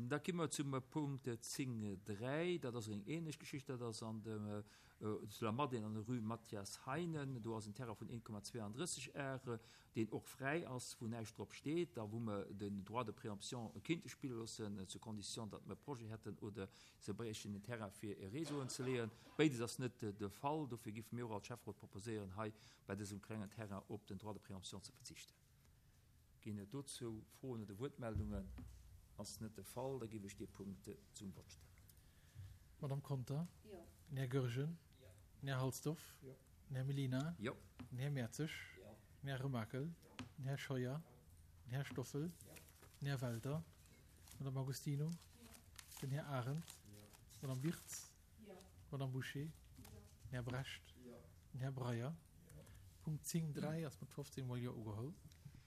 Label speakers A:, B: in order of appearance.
A: Da komme mer zum Punkt 10, 3. Dat ass eng ähnlech Geschicht. Dat ass an dem, zu der Madeleine an der Rue Mathias Heinen. Do ass en Terrain vun 1,32 Ar, deen och fräi ass, wou näischt drop steet a wou mer den Droit de préemption kéinte spille loossen, zur Condition, datt mer e Projet hätten oder se bréichten en Terrain fir e Réseau unzeleeën. Béides ass net de Fall. Dofir géife mir och als Schäfferot proposéieren, hei bei dësem klengen Terrain op den Droit de préemption ze verzichten. Ginn et dozou Froen oder Wuertmeldungen? Ass net de Fall, da géif ech dee Punkt zum Vott stellen.
B: Madamm Conter? Jo. Den Här Goergen? Jo. Den Här Halsdorf? Jo. Den Här Mellina?
A: Jo.
B: Den Här Mertzig? Jo. Den Här Remakel? Jo. Den Här Scheuer? Den Här Stoffel? Jo. Den Här Welter? D'Madame Agostino? Jo. Den Här Arendt? Jo. D'Madame Wirtz? Jo. D'Madame Bouché? Jo. Den Här Brecht? Jo. Den Här Breyer? Jo. Punkt 10, 3 ass mat 15 mol Jo ugeholl.